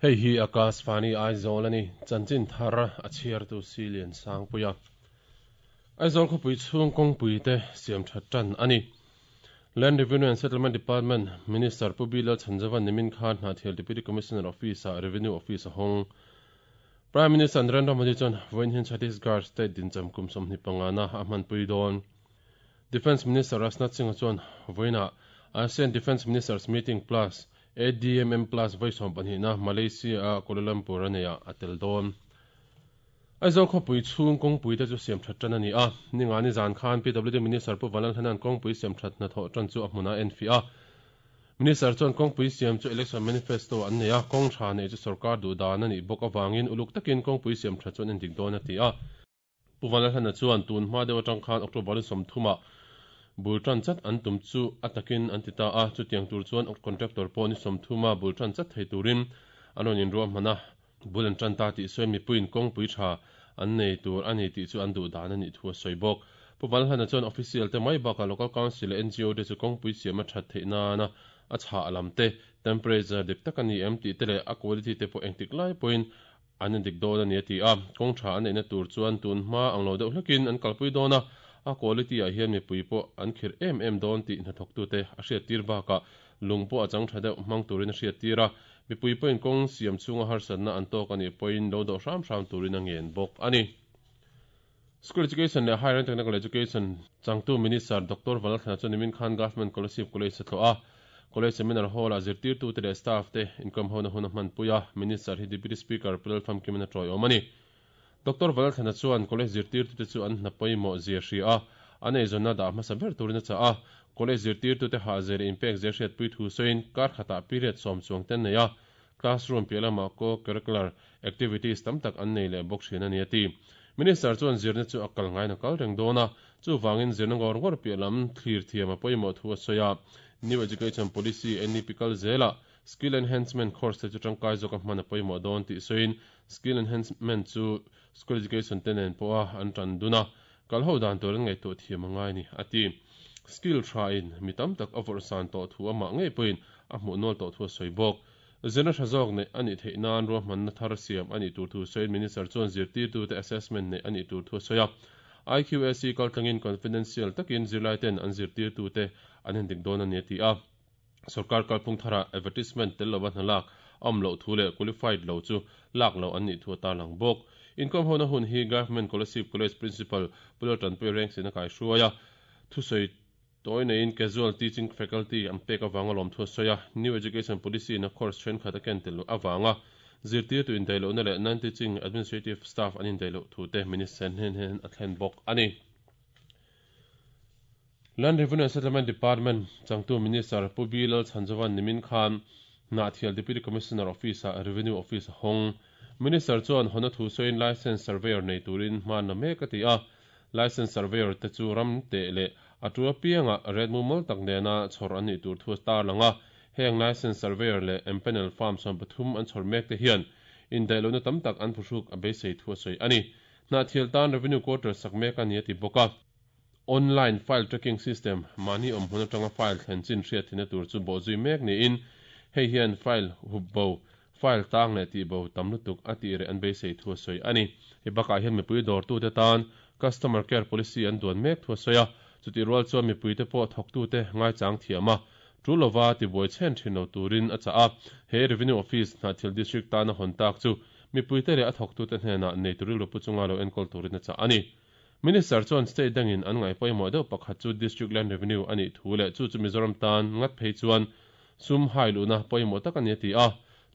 Hei hi Akashvani Aizawl a ni. Chanchin thar a chhiartu Silian Sangpuia. Aizawl khawpui chhung kawngpui te siam that tan a ni. Land Revenue and Settlement Department Minister Pu B Lalchhanzauva nimin khan Hnahthial Deputy Commissioner Office-ah Revenue Office a hawng. Prime Minister Narendra Modi chuan vawiin hian Chhattisgarh State dincham kum 25 na a hmanpui dawn. Defence Minister Rajnath Singh-a chuan vawiinah ASEAN Defence Ministers Meeting Plus, ADMM Plus vawi 12 na Malaysia-a Kuala Lumpur a neihah a tel dawn. Aizawl khawpui chhung kawngpui te chu siam that tan a ni a. Ningani zan khan PWD Minister Pu Vanlalhlena'n kawngpui siam that hnathawh tan chu a hmunah a enfiah a. Minister chuan kawngpui siam chu election manifesto an nei a, kawng tha neih chu sorkar duh dan a nih bawk avangin uluk takin kawngpui siam that chu an endik dawn a ti a. Pu Vanlalhlena chuan tun hma deuh atang khan October 30 ah bul tan chat an tum chu a takin an ti ta a, chutiang tur chuan contractor pawh ni 30 a bul tan chat thei turin an rawn inruahman a, bul an tan ta tih sawi mipuiin kawngpui tha an nei tur a ni tih chu an duh dan a nih thu a sawi bawk. Pu Vanlalhlena chuan official te mai bakah local council leh NGO te chu kawngpui siam a that theih nana a chhah lam te, temperature dik tak a ni em tih te leh a quality te pawh engtik lai pawhin an endik dawn a ni a ti a, kawng tha an neihna tur chuan tun hma ang lo deuh hlekin an kalpui dawn a, a quality ah hian mipui pawh an khirh em em dawn tih hnathawktute a hriattir bakah lung pawh a chang tha deuh hmang turin a hriattir a, mipui pawhin kawng siam chhunga harsatna an tawk a nih pawhin lo dawh hram hram turin a ngen bawk a ni. School Education leh Higher and Technical Education changtu Minister Doctor Vanlalthlana chuan nimin khan Government Kolasib College a tlawh a. College Seminar Hall-ah zirtirtute leh staff te inkawmhona hun a hmanpui a, Minister hi Deputy Speaker Pu Lalfamkimin a tawiawm a ni. Doctor Vanlalthlana chuan College zirtirtute chu an hna pawimawh zia hria a, an eizawnna dah hmasa ber turin a chah a. College zirtirtute hahzia leh inpekzia hriatpui thu sawiin kar khatah period 10 chuang te an nei a, Classroom piah lamah co-curricular activities tam tak an nei leh bawk thin a ni a ti. Minister chuan zirna chu a kal ngaiin a kal reng dawn a, chuvangin zirna ngawr ngawr piah lam thlir thiam a pawimawh thu a sawi a. New Education Policy, NEP, kal zelah Skill Enhancement course te chu tangkai zawka hman a pawimawh dawn tih sawiin Skill Enhancement chu School Education te nen pawha an tan dun a, kal ho dan tur an ngaihtuah thiam a ngai a ni a ti. Skill tha in mi tam tak a vawrh san tawh thu amah ngei pawhin a hmuh nual tawh thu a sawi bawk. Zirna tha zawk neih a nih theih nan ruahmanna thar siam a nih tur thu sawiin Minister chuan zirtirtute assessment neih a nih tur thu a sawi a. IQAC kaltlangin confidential takin zirlaiten an zirtirtute an endik dawn a ni a ti a. Sorkar kalphung tharah advertisement tel lova hna lak a awm loh thu leh qualified lo chu lak loh an nih thu a tarlang bawk. Inkhawm hona hun hi Government Kolasib College Principal Pu Laltanpuia Rengsin a kaihruai a, thusawi tawi neiin Casual Teaching Faculty an pek avanga lawmthu a sawi a, New Education Policy in a course thenkhat a ken tel loh avanga zirtirtu indaih lohna leh non-teaching administrative staff an indaih loh thu te Minister hnen hian a thlen bawk a ni. Land Revenue and Settlement Department changtu Minister Pu B Lalchhanzova'n nimin khan Hnahthial Deputy Commissioner Office-ah Revenue Office a hawng. Minister chuan hawna thu sawiin Licence Surveyor nei turin hma na mek a ti a, Licence Surveyor te chu ram teh leh a tu apiangah ret mumal tak nena chhawr an nih tur thu a tarlang a, heng Licence Surveyor leh Empanel Farm 13 an chhawr mek te hian indaih lohna tam tak an phuhruk a beisei thu a sawi a ni. Hnahthial tan Revenue Quarter sak mek a ni a ti bawk a. Online file tracking system, mahni awm hmun atanga file thlen chin hriat theihna tur chu bawhzui mek niin hei hian file hup bo, file tang leh tih bo tam lutuk a tih reh an beisei thu a sawi a ni. Hei bakah hian mipui dawrtute tan Customer Care Policy an duan mek thu a sawi a, chutih rual chuan mipuite pawh thawktute ngaichang thiam a, tul lova tibuai chhen thin lo turin a chah a. He Revenue Office Hnahthial District tana hawn tak chu mipuite leh a thawktute hnenah neitu rilru pu chunga lo enkawl turin a chah a ni. Minister chuan state dangin an ngaih pawimawh deuh pakhat chu District Land Revenue a nih thu leh chu chu Mizoram tan ngat phei chuan sum hai luhna pawimawh tak a ni a ti a.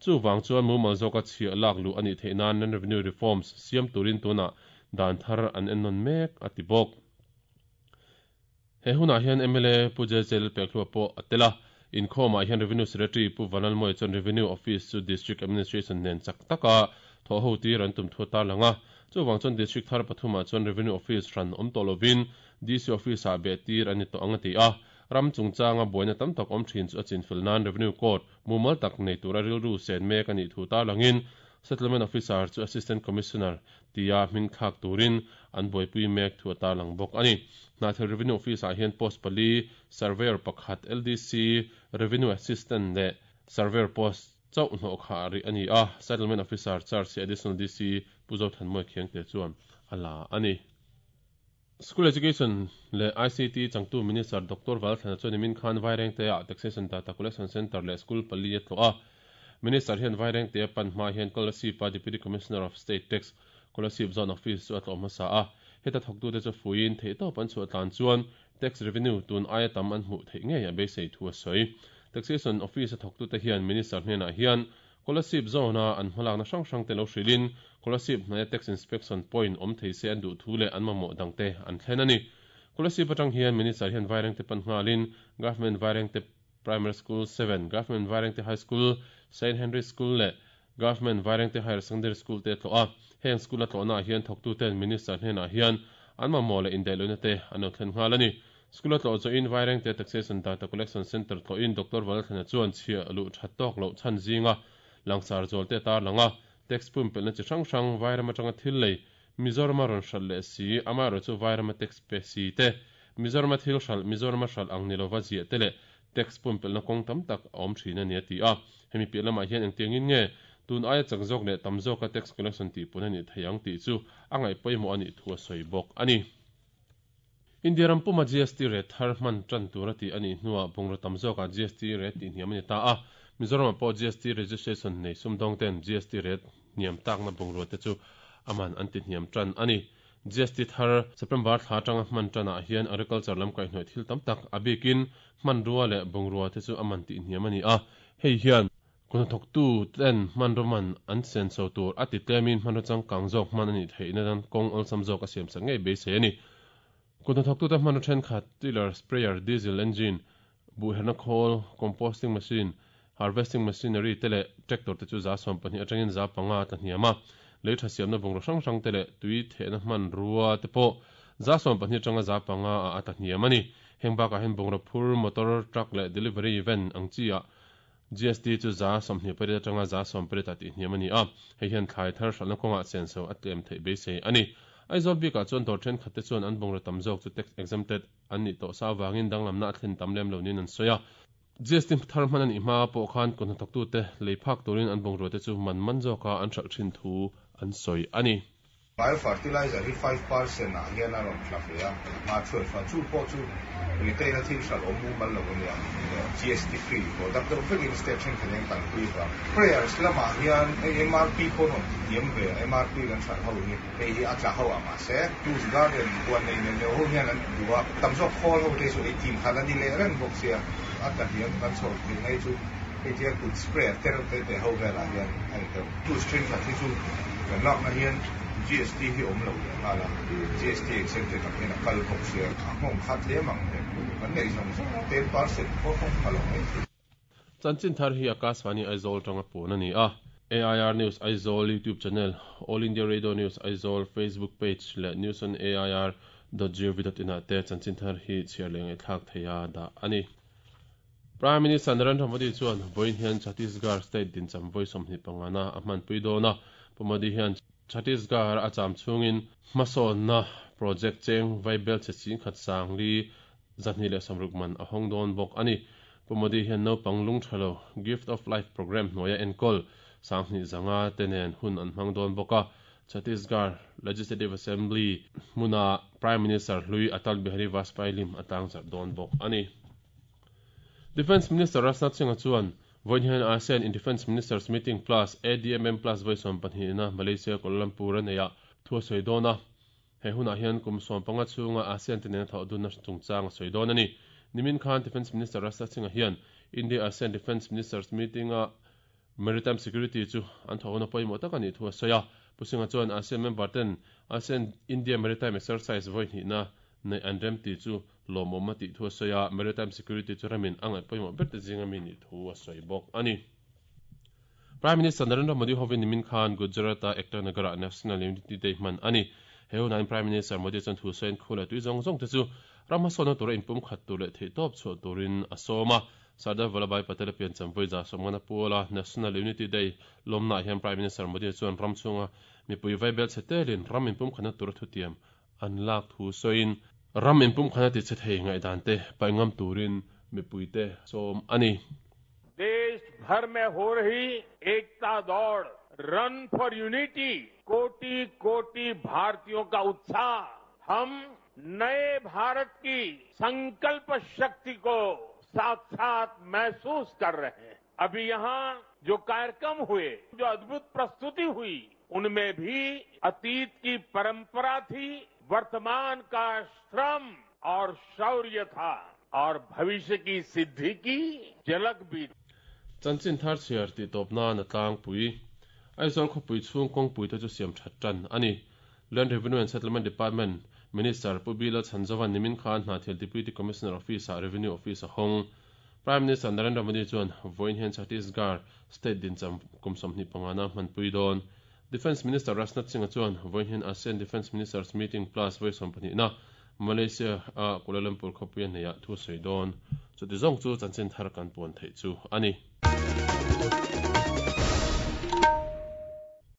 Chuvang chuan mumal zawka chhiah lak luh a nih theih nan Land Revenue Reforms siam turin tunah dan thar an ennawn mek a ti bawk. He hunah hian mla Pu JJ Lalpekhlua pawh a tel a, inkhawmah hian Revenue Secretary Pu Vanlalmawia chuan Revenue Office chu District Administration nen chak taka thawh ho tir an tum thu a tarlang a. Chuvang chuan District thar pathumah chuan Revenue Office hran awm tawh lovin DC Office-ah beh tir a ni tawh ang a ti a. Ram chungchanga buaina tam tak awm thin chu a chinfel nan Revenue Court mumal tak nei tura rilru sen mek a nih thu tarlangin Settlement Officer chu Assistant Commissioner tia hming thlak turin an buaipui mek thu a tarlang bawk a ni. Hnahthial Revenue Office-ah hian post pali, Surveyor pakhat, LDC, Revenue Assistant leh Surveyor post. chauh hnawh khah rih a ni a, Settlement Officer charge hi Additional DC Pu Zothanmawia Khiangte chuan a la a ni. School Education leh ICT changtu Minister Doctor Valthlana chuan nimin khan Vairengte-ah Taxation Data Collection Centre leh School pali a tlawh a. Minister hian Vairengte-a pan hma hian Kolasib-a Deputy Commissioner of State Tax, Kolasib Zone Office chu a tlawh hmasa a. Heta thawktute chu fuiin theihtawp an chhuah tlan chuan Tax revenue tun aia tam an hmuh theih ngei a beisei thu a sawi. Taxation Office a thawktute hian Minister hnenah hian Kolasib Zone-a an hmalakna hrang hrangte lo hrilhin Kolasib hnaia Tax Inspection Point awm thei se an duh thu leh an mamawh dangte an thlen a ni. Kolasib atang hian Minister hian Vairengte pan nghalin Government Vairengte Primary School 7, Government Vairengte High School, Saint Henry School leh Government Vairengte Higher Secondary School te a tlawh a. Heng school a tlawhnaah hian thawktuten Minister hnenah hian an mamawh leh indaihlohna te an lo thlen nghal a ni. School a tlawh zawhin Vairengte Taxation Data Collection Centre tlawhin Doctor Valalthlana chuan chhiah luh that tawk loh chhan zinga langsar zual te a tarlang a. Tax pumpelhna chi hrang hrang Vairam atanga thil lei Mizorama rawn hralh leh si, amaherawhchu Vairama tax pe si te, Mizorama thil hralh Mizorama hralh ang ni lova ziah te leh tax pumpelhna kawng tam tak a awm thin a ni a ti a. Hemi piah lamah hian engtiangin nge tun aia chak zawk leh tam zawka tax collection tihpun a nih thei ang tih chu a ngaih pawimawh a nih thu a sawi bawk a ni. India ram puma GST rate thar hman tan tur a tih a nih hnuah bungraw tam zawkah GST rate tihhniam a ni ta a. Mizoramah pawh GST registration nei sumdawng ten GST rate hniam takna bungrua te chu a man an tihhniam tan a ni. GST thar September thla atanga hman tanah hian agriculture lam kaihhnawih thil tam tak a bikin hmanrua leh bungrua te chu a man tihhniam a ni a. Hei hian Kuhnathawktu ten hmanraw man an senso tur a ti tlemin hmanraw changkang zawk hman a nih theihna nan kawng awlsam zawk a siamsak ngei beisei a ni. Kuhnathawktute hmanraw thenkhat, tiller, sprayer, diesel engine, buhherna khawl, composting machine, harvesting machinery te leh tractor te chu 12% atangin 5% a tla hniam a. Lei tha siamna bungraw hrang hrang te leh tui thehna hmanrua te pawh 12% atanga 5% ah a tla hniam a ni. Heng bakah hian bungraw phur, motor, truck leh delivery van ang chi ah GST chu 28% atanga 18% ah tihhniam a ni a, hei hian thlai thar hralhna kawngah senso a tlem theih beisei a ni. Aizawl bikah chuan dawr thenkhatte chuan an bungraw tam zawk chu tax exempted an nih tawh sa avangin danglamna a thlen tam lem lo niin an sawi a. GST thar hman a nih hma pawh khan kut hnathawktute lei phak turin an bungruate chu man man zawka an hralh thin thu an sawi a ni. Bio fertilizer hi 5% ah hian a rawn tla ve a, hma 12 a, chu pawh chu retail a thil hralh awm mumal lo ania, GST free product deuh vekin state thenkhat hian kan pui vang. Prayers lamah hian hei MRP pawh rawn ti hniam ve a, MRP kan hralh ho hi hei hi a tla ho a mahse tools garden huan nei neuh neuh ho hian an duh a, tam zawk khawl ho te chu ei tin khat a ni leh reng bawk sia, a tla hniam kan chho theih mai chu hei tia kut spray te reuh te te ho velah hian a ni deuh. Tools thenkhat hi chu kan lakna hian GST hi awm lo leh nghal a, GST exempted ang hian a kal bawk sia, a nghawng khat hle mang reng kan neih zawng zawng a, 10% pawh nghawng pha lo mai thei. Chanchin thar hi Akashvani Aizawl tanga puan a ni a. AIR News Aizawl YouTube channel, All India Radio News Aizawl Facebook page leh News on AIR dot gov dot in ah te chanchin thar hi chhiar leh ngaihthlak theia dah a ni. Prime Minister Narendra Modi chuan vawiin hian Chhattisgarh state dincham vawi 25 na a hmanpui dawn a. Pu Modi hian Chhattisgarh a cham chhungin hmasawnna project cheng vaibel chhe chingkhat sang li 260 man a hawng dawn bawk a ni. Pu Modi hian naupang lung tha lo Gift of Life programme hnuaia enkawl 2500 te nen hun an hmang dawn bawk a. Chhattisgarh Legislative Assembly hmuna Prime Minister hlui Atal Bihari Vajpayee lim a tlangzarh dawn bawk a ni. Defence Minister Rajnath Singh-a chuan vawiin hian ASEAN in Defence Ministers Meeting Plus, ADMM Plus vawi 12 na Malaysia Kuala Lumpur a neihah thu a sawi dawn a. He hunah hian kum 15 chhunga ASEAN te nena thawh dunna chungchang a sawi dawn a ni. Nimin khan Defence Minister Rajnath Singh-a hian India-ASEAN Defence Ministers Meeting-a Maritime Security chu an thawh huna pawimawh tak a nih thu a sawi a. Pu Singh-a chuan ASEAN member ten ASEAN India Maritime Exercise vawi hnihna neih an rem tih chu lawmawm a tih thu a sawi a, Maritime Security chu ramin a ngaih pawimawh ber te zinga mi nih thu a sawi bawk a ni. Prime Minister Narendra Modi hovin nimin khan Gujarat-a Ekta Nagar-ah National Unity Day hman a ni. He hunain Prime Minister Modi chuan thu sawiin khu leh tui zawng zawng te chu ram hmasawnna tura inpumkhat tur leh theihtawp chhuah turin a sawm a. Sardar Vallabhbhai Patel a piancham vawi 50 na puala National Unity Day lawmnaah hian Prime Minister Modi chuan ram chhunga mipui vaibel chhe telin ram inpumkhatna tura thutiam an lak thu sawiin ram inpumkhatna ti chhe thei ngaihdan te paih ngam turin mipuite sawm a ni. Desh. भर में हो रही एकता दौड़ run for unity कोटि कोटि भारतीयों का उत्साह हम नए भारत की संकल्प शक्ति को साक्षात महसूस कर रहे हैं। अभी यहां जो कार्यक्रम हुए, जो अद्भुत प्रस्तुति हुई, उनमें भी अतीत की परंपरा थी, वर्तमान का श्रम और शौर्य था और भविष्य की सिद्धि की झलक भी। Chanchin thar chhiar tih tawp nan a tlangpui. Aizawl khawpui chhung kawngpui te chu siam that tan a ni. Land Revenue and Settlement Department Minister Pu Bila Chhanzovan nimin khan Hnahthial Deputy Commissioner Office-ah Revenue Office a hawng. Prime Minister Narendra Modi chuan vawiin hian Chhattisgarh State dincham kum 25 na hmanpui dawn. Defence Minister Rajnath Singh-a chuan vawiin hian ASEAN Defence Ministers Meeting Plus vawi 12 na Malaysia a Kuala Lumpur khawpuia hneihah thu sawi dawn. Chuti zawng chu chanchin thar kan puan theih chu a ni.